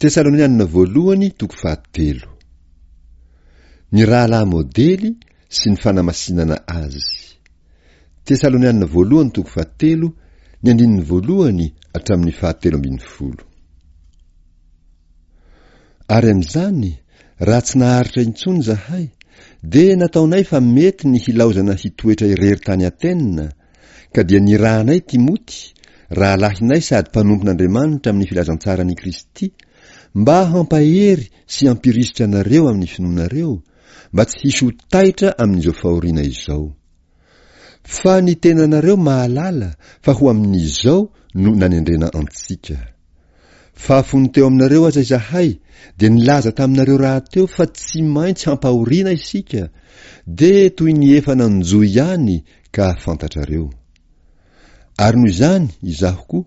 Tesalonianina voalohany toko fahatelo. Ny rahalahy modely sy ny fanamasinana azy. Tesalonianina voalohany toko fahatelo, ny andininy voalohany hatramin'ny fahatelo ambin'ny folo. Ary amin'izany, raha tsy naharitra intsony izahay, dia nataonay fa mety ny hilaozana hitoetra irery tany Atena, ka dia nirahanay Timoty, rahalahinay sady mpanompon'Andriamanitra amin'ny filazantsaran'i Kristy, mba hampahery sy hampirisika anareo amin'ny finoanareo, mba tsy hisy ho taitra amin'izao fahoriana izao. Fa ny tenanareo mahalala fa ho amin'izao no nanendrena antsika. Fa fony teo aminareo aza izahay dia nilaza taminareo rahateo fa tsy maintsy hampahoriana isika, dia toy ny efa nanjo ihany ka fantatrareo. Ary noho izany izaho koa,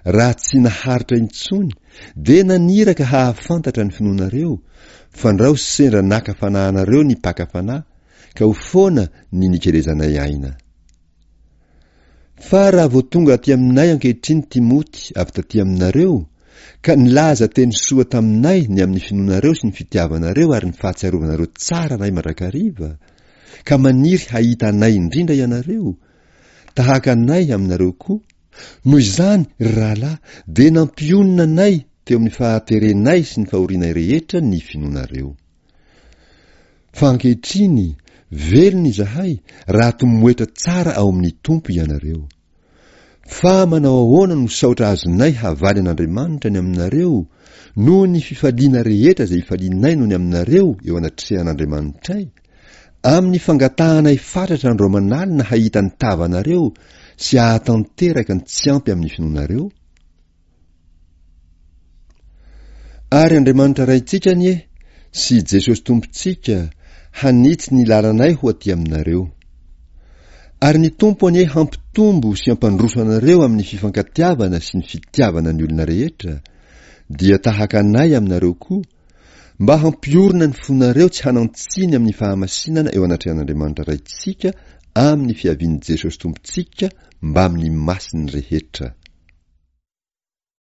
raha tsy naharitra intsony, dia naniraka hahafantatra ny finoanareo, fandrao sendra naka fanahy anareo ny mpaka fanahy, ka ho foana ny nikelezanay aina. Fa raha vao tonga aty aminay ankehitriny Timoty avy taty aminareo, ka nilaza teny soa taminay ny amin'ny finoanareo sy ny fitiavanareo ary ny fahatsiarovanareo tsara anay mandrakariva, ka maniry hahita anay indrindra ianareo, tahaka anay aminareo koa, noho izany, ry rahalahy, dia nampionona anay teo amin'ny fahaterenay sy ny fahorianay rehetra ny finoanareo. Fa ankehitriny, velona izahay raha tomoetra tsara ao amin'ny Tompo ianareo. Fa manao ahoana no saotra azonay havaly an'Andriamanitra ny aminareo noho ny fifaliana rehetra izay ifalianay noho ny aminareo eo anatrehan'Andriamanitray, amin'ny fangatahanay fatratra andro aman'alina hahita ny tavanareo sy hahatanteraka ny tsy ampy amin'ny finoanareo? Ary Andriamanitra Raintsika anie sy Jesosy Tompontsika hanitsy ny lalanay ho aty aminareo. Ary ny Tompo anie hampitombo sy hampandroso anareo amin'ny fifankatiavana sy ny fitiavana ny olona rehetra, dia tahaka anay aminareo koa, mba hampiorina ny fonareo tsy hanan-tsiny amin'ny fahamasinana eo anatrehan'Andriamanitra Raintsika amin'ny fiavian'i Jesosy Tompontsika mbamin'ny masiny rehetra.